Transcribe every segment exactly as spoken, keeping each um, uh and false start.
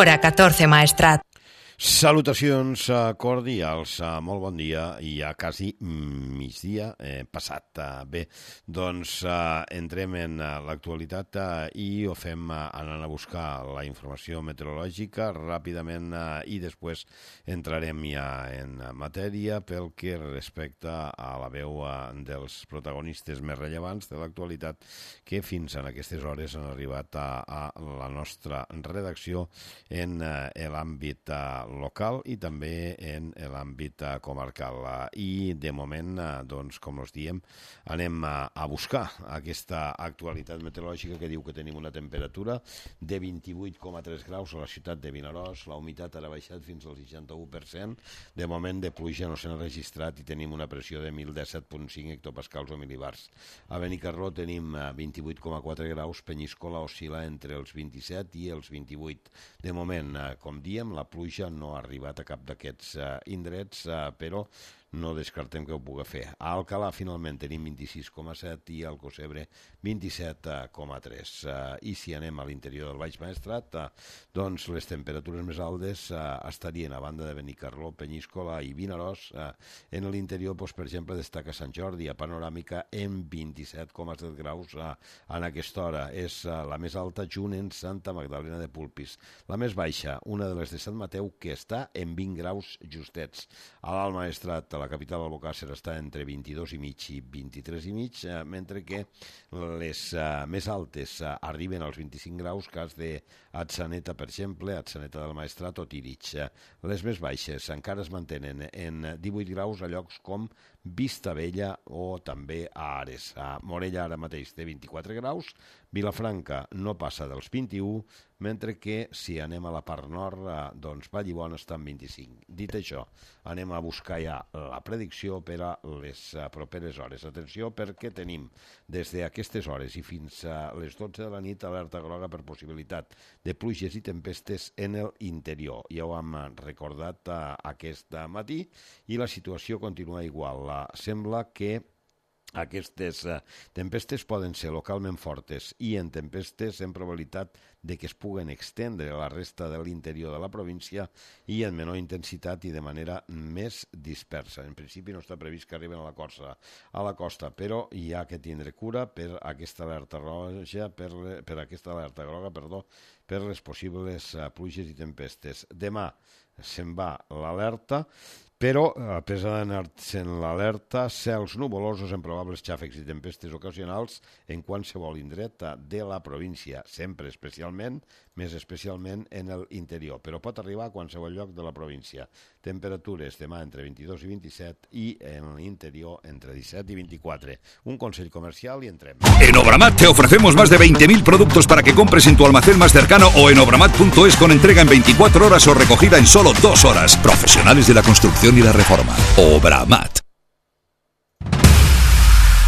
Hora catorze, Maestrat. Salutacions cordials, molt bon dia, i ja quasi migdia eh, passat. Bé, doncs eh, entrem en l'actualitat eh, i ho fem eh, anant a buscar la informació meteorològica ràpidament eh, i després entrarem ja en matèria pel que respecta a la veu eh, dels protagonistes més rellevants de l'actualitat que fins en aquestes hores han arribat a, a la nostra redacció en eh, l'àmbit eh, local i també en l'àmbit comarcal. I de moment, doncs, com us diem, anem a buscar aquesta actualitat meteorològica que diu que tenim una temperatura de vint-i-vuit coma tres graus a la ciutat de Vinaròs, la humitat ha baixat fins al seixanta-u per cent, de moment de pluja no s'ha registrat i tenim una pressió de mil disset coma cinc hectopascals o milibars. A Benicarló tenim vint-i-vuit coma quatre graus, Penyíscola oscil·la entre els vint-i-set i els vint-i-vuit. De moment, com diem, la pluja no ha arribat a cap d'aquests uh, indrets, uh, però no descartem que ho pugui fer. A Alcalà, finalment, tenim vint-i-sis coma set i al Cosebre vint-i-set coma tres. Uh, I si anem a l'interior del Baix Maestrat, uh, doncs les temperatures més altes uh, estarien a banda de Benicarló, Penyíscola i Vinaròs. Uh, en l'interior, doncs, per exemple, destaca Sant Jordi, a Panoràmica, en vint-i-set coma set graus uh, en aquesta hora. És uh, la més alta junt en Santa Magdalena de Polpís. La més baixa, una de les de Sant Mateu, que està en vint graus justets. A l'Alt Maestrat, a la capital Albocàsser, està entre vint-i-dos i mig i vint-i-tres i mig, eh, mentre que les eh, més altes eh, arriben als vint-i-cinc graus, cas de Atzeneta, per exemple, Atzeneta del Maestrat o Tírig. Eh, les més baixes encara es mantenen en divuit graus a llocs com Vistabella o també a Ares. A Morella ara mateix té vint-i-quatre graus, Vilafranca no passa dels vint-i-u, mentre que si anem a la part nord, doncs Vallibona està en vint-i-cinc. Dit això, anem a buscar ja la predicció per a les properes hores. Atenció, perquè tenim des d'aquestes hores i fins a les dotze de la nit alerta groga per possibilitat de pluges i tempestes en l'interior. Ja ho hem recordat aquest matí i la situació continua igual. Sembla que aquestes uh, tempestes poden ser localment fortes i en tempestes en probabilitat de que es puguen extendre a la resta de l'interior de la província i en menor intensitat i de manera més dispersa. En principi no està previst que arriben a la costa, a la costa, però hi ha que tindre cura per aquesta alerta roja, per, per aquesta alerta groga, perdó, per les possibles uh, pluges i tempestes. Demà se'n va l'alerta, però, a pesar d'anar-se'n l'alerta, cels nuvolosos amb probables xàfecs i tempestes ocasionals en qualsevol indret de la província, sempre especialment, més especialment en l'interior, però pot arribar a qualsevol lloc de la província. Temperatures demà entre vint-i-dos i vint-i-set i en l'interior entre disset i veinticuatro. Un consell comercial y entrem. En Obramat te ofrecemos más de veinte mil productos para que compres en tu almacén más cercano o en obramat punto es con entrega en veinticuatro horas o recogida en solo dos horas. Profesionales de la construcción y la reforma. Obramat.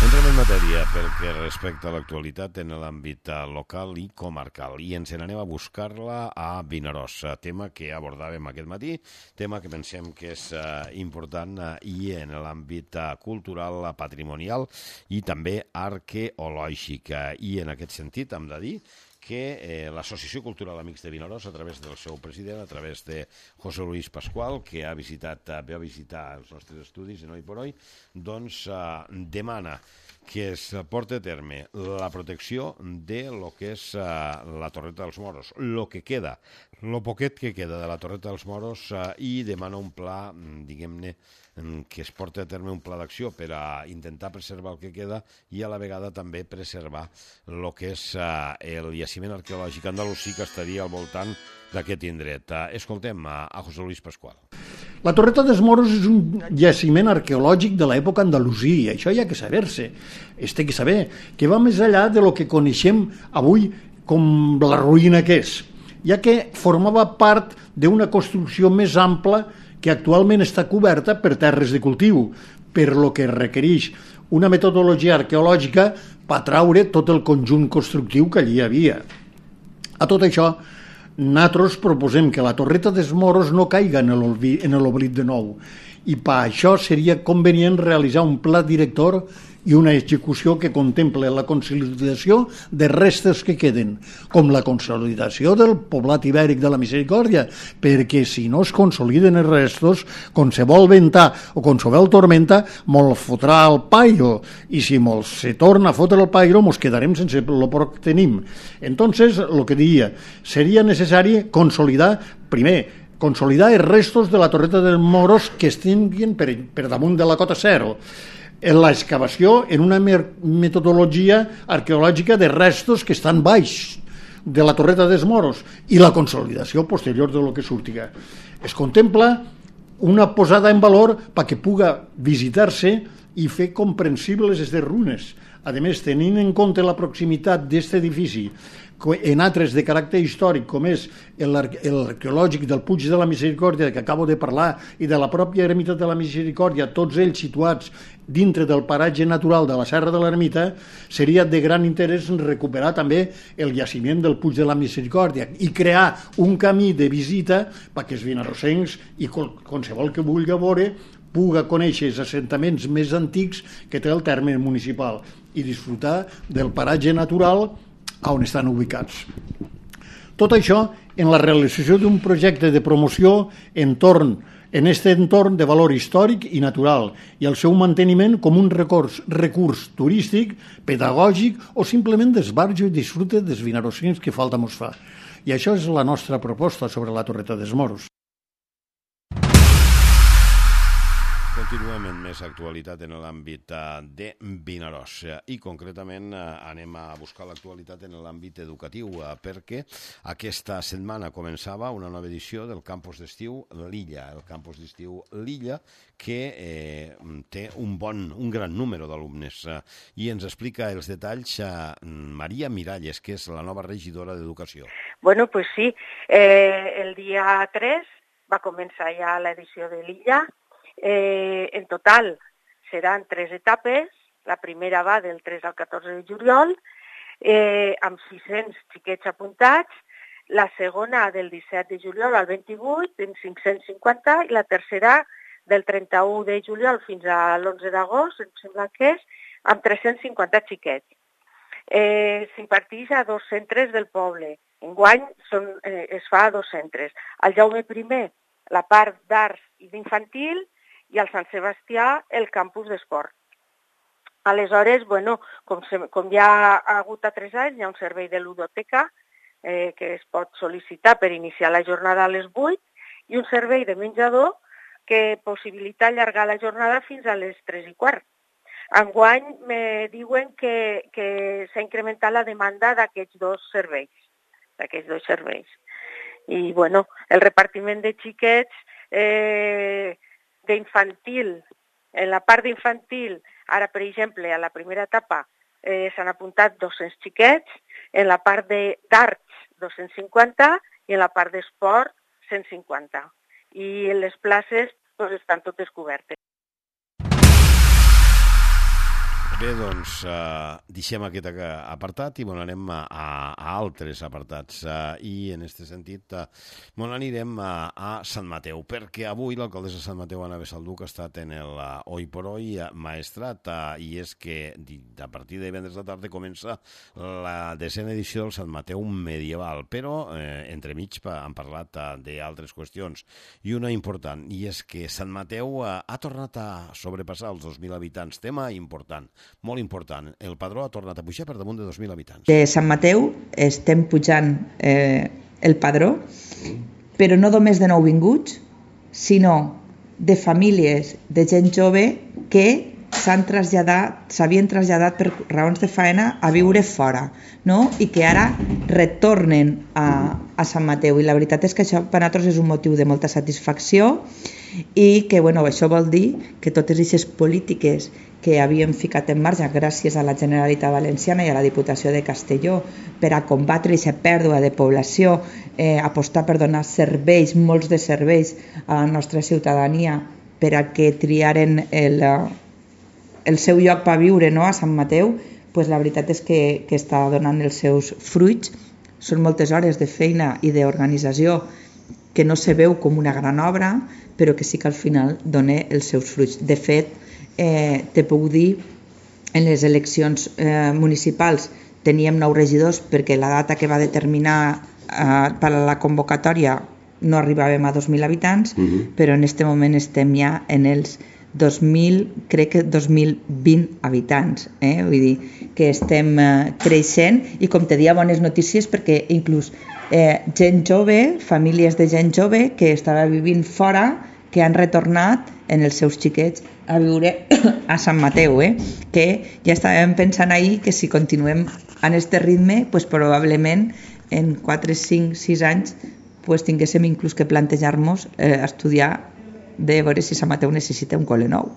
Entrem en matèria pel que respecta a l'actualitat en l'àmbit local i comarcal i ens n'anem a buscar-la a Vinaròs, tema que abordàvem aquest matí, tema que pensem que és uh, important uh, i en l'àmbit uh, cultural, uh, patrimonial i també arqueològic. Uh, I en aquest sentit hem de dir que eh, l'Associació Cultural Amics de Vinaròs, a través del seu president, a través de José Luis Pascual, que ha visitat, ve a visitar els nostres estudis en Hoy por Hoy, doncs eh, demana que es porti a terme la protecció de lo que és eh, la Torreta dels Moros, lo que queda, lo poquet que queda de la Torreta dels Moros eh, i demana un pla, diguem-ne, que es porti a terme un pla d'acció per a intentar preservar el que queda i a la vegada també preservar el que és uh, el jaciment arqueològic andalusí que estaria al voltant d'aquest indret. Uh, escoltem a, a José Luis Pascual. La Torreta dels Moros és un jaciment arqueològic de l'època andalusí, i això hi ha que saber-se. Es té que saber que va més enllà de lo que coneixem avui com la ruïna que és, ja que formava part d'una construcció més ampla que actualment està coberta per terres de cultiu, per lo que requereix una metodologia arqueològica per traure tot el conjunt constructiu que allí hi havia. A tot això, nosaltres proposem que la Torreta dels Moros no caiga en l'oblit de nou, i per això seria convenient realitzar un pla director i una execució que contemple la consolidació de restes que queden, com la consolidació del poblat ibèric de la Misericòrdia, perquè si no es consoliden els restos, quan se vol ventar o quan se vol tormenta, mos fotrà el pairo, i si mos se torna a fotre el pairo, mos quedarem sense el poc que tenim. Entonces, el que diria, seria necessari consolidar, primer, consolidar els restos de la Torreta dels Moros que estiguin per, per damunt de la cota zero. En l'excavació en una metodologia arqueològica de restos que estan baix de la Torreta dels Moros i la consolidació posterior de lo que surtiga. Es contempla una posada en valor perquè puga visitar-se i fer comprensibles aquestes runes. A més, tenint en compte la proximitat d'aquest edifici en altres de caràcter històric, com és l'arqueològic del Puig de la Misericòrdia, que acabo de parlar, i de la pròpia ermita de la Misericòrdia, tots ells situats dintre del paratge natural de la Serra de l'Ermita, seria de gran interès recuperar també el jaciment del Puig de la Misericòrdia i crear un camí de visita perquè els vinarrosencs i qualsevol que vulgui veure puga conèixer els assentaments més antics que té el terme municipal i disfrutar del paratge natural on estan ubicats. Tot això en la realització d'un projecte de promoció entorn, en aquest entorn de valor històric i natural i el seu manteniment com un recurs, recurs turístic, pedagògic o simplement d'esbarjo i disfrute dels vinarrosencs que falta mos fa. I això és la nostra proposta sobre la Torreta dels Moros. Continuem amb més actualitat en l'àmbit de Vinaròs i concretament anem a buscar l'actualitat en l'àmbit educatiu perquè aquesta setmana començava una nova edició del campus d'estiu L'Illa, el campus d'estiu L'Illa que eh, té un bon, un gran número d'alumnes i ens explica els detalls a Maria Miralles, que és la nova regidora d'Educació. Bueno, pues sí, eh, el dia tres va començar ja l'edició de L'Illa. Eh, en total seran tres etapes. La primera va del tres al catorze de juliol, eh, amb sis-cents xiquets apuntats, la segona del disset de juliol al vint-i-vuit, amb cinc-cents cinquanta, i la tercera del trenta-u de juliol fins a l'onze d'agost, em sembla que és, amb tres-cents cinquanta xiquets. Eh, S'imparteix a dos centres del poble. Enguany són, eh, es fa a dos centres. Al Jaume primer, la part d'arts i d'infantil, i al Sant Sebastià el campus d'esport. Aleshores, bueno, com, se, com ja ha hagut a tres anys, hi ha un servei de ludoteca eh, que es pot sol·licitar per iniciar la jornada a les vuit i un servei de menjador que possibilita allargar la jornada fins a les tres i quart. Enguany me diuen que, que s'ha incrementat la demanda d'aquests dos serveis, d'aquests dos serveis. I, bueno, el repartiment de xiquets eh, d'infantil, en la part d'infantil, ara, per exemple, a la primera etapa eh, s'han apuntat dos-cents xiquets, en la part d'arts dos-cents cinquanta i en la part d'esport cent cinquanta. I les places doncs, estan totes cobertes. Bé, doncs, eh, deixem aquest apartat i bueno, anem a, a altres apartats. Eh, I en aquest sentit, eh, bueno, anirem a, a Sant Mateu, perquè avui l'alcaldessa de Sant Mateu, Anna Besalduc, ha estat en el uh, Oi por Oi uh, Maestrat, uh, i és que a partir de divendres de tarda comença la desena edició del Sant Mateu medieval, però eh, entremig han parlat uh, d'altres qüestions, i una important, i és que Sant Mateu uh, ha tornat a sobrepassar els dos mil habitants, tema important. Molt important. El padró ha tornat a pujar per damunt de dos mil habitants. De Sant Mateu estem pujant eh, el padró, però no només de nouvinguts, sinó de famílies de gent jove que s'han traslladat, s'havien traslladat per raons de faena a viure fora, no? I que ara retornen a, a Sant Mateu. I la veritat és que això per a nosaltres és un motiu de molta satisfacció i que bueno, això vol dir que totes aquestes polítiques que havíem ficat en marxa gràcies a la Generalitat Valenciana i a la Diputació de Castelló per a combatre aquesta pèrdua de població, eh, apostar per donar serveis, molts de serveis a la nostra ciutadania per a que triaren el, el seu lloc per viure, no? A Sant Mateu, pues la veritat és que, que està donant els seus fruits. Són moltes hores de feina i d'organització que no se veu com una gran obra, però que sí que al final dona els seus fruits. De fet, eh, te puc dir en les eleccions eh, municipals teníem nou regidors perquè la data que va determinar eh, per a la convocatòria no arribàvem a dos mil habitants, uh-huh. però en aquest moment estem ja en els dos mil, crec que dos mil vint habitants, eh? Vull dir que estem eh, creixent i com te dia bones notícies perquè inclús eh, gent jove, famílies de gent jove que estava vivint fora, que han retornat en els seus xiquets a viure a Sant Mateu, eh? Que ja estàvem pensant ahir que si continuem en este ritme, pues probablement en quatre, cinc, sis anys pues tinguéssim inclús que plantejar-nos eh, estudiar de veure si Sant Mateu necessita un col·le nou.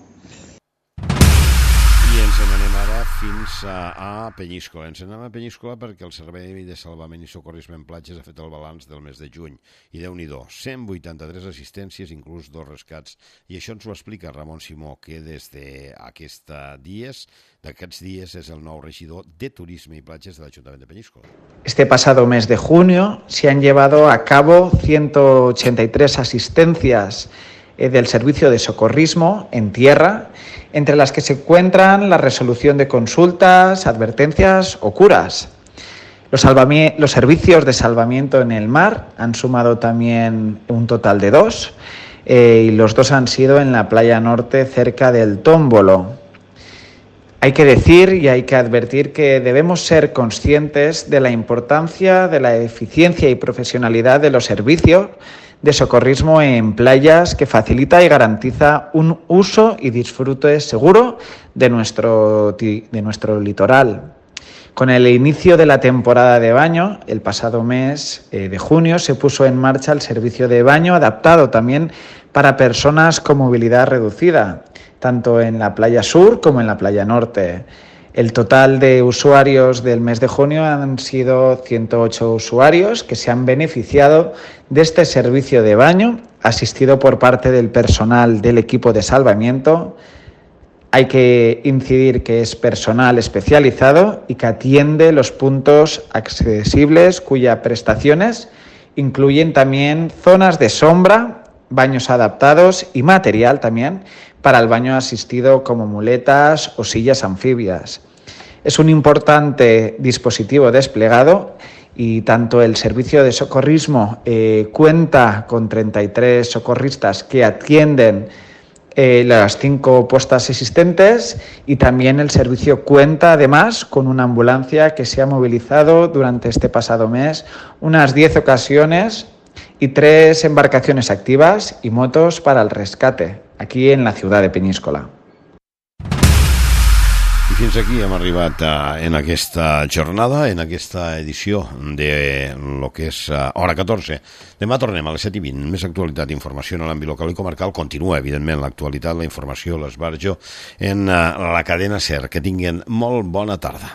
I ens n'anem ara fins a, a Penyíscola. Ens n'anem a Penyíscola perquè el Servei de Salvament i Socorrisme en Platges ha fet el balanç del mes de juny. I Déu-n'hi-do, cent vuitanta-tres assistències, inclús dos rescats. I això ens ho explica Ramon Simó, que des d'aquests dies, d'aquests dies és el nou regidor de Turisme i Platges de l'Ajuntament de Penyíscola. Este pasado mes de junio se han llevado a cabo ciento ochenta y tres asistencias del servicio de socorrismo en tierra, entre las que se encuentran la resolución de consultas, advertencias o curas. Los, salvami- los servicios de salvamiento en el mar han sumado también un total de dos, eh, y los dos han sido en la playa norte cerca del Tómbolo. Hay que decir y hay que advertir que debemos ser conscientes de la importancia de la eficiencia y profesionalidad de los servicios de socorrismo en playas, que facilita y garantiza un uso y disfrute seguro de nuestro, de nuestro litoral. Con el inicio de la temporada de baño, el pasado mes eh, de junio, se puso en marcha el servicio de baño adaptado también para personas con movilidad reducida, tanto en la playa sur como en la playa norte. El total de usuarios del mes de junio han sido ciento ocho usuarios que se han beneficiado de este servicio de baño, asistido por parte del personal del equipo de salvamiento. Hay que incidir que es personal especializado y que atiende los puntos accesibles cuyas prestaciones incluyen también zonas de sombra, baños adaptados y material también para el baño asistido como muletas o sillas anfibias. Es un importante dispositivo desplegado y tanto el servicio de socorrismo eh, cuenta con treinta y tres socorristas que atienden eh, las cinco puestas existentes, y también el servicio cuenta además con una ambulancia que se ha movilizado durante este pasado mes unas diez ocasiones y tres embarcaciones activas y motos para el rescate aquí en la ciudad de Penyíscola. I fins aquí hem arribat uh, en aquesta jornada, en aquesta edició de lo que és uh, Hora catorze. Demà tornem a les set i vint. Més actualitat i informació en l'àmbit local i comarcal. Continua, evidentment, l'actualitat, la informació, l'esbarjo en uh, la cadena SER. Que tinguin molt bona tarda.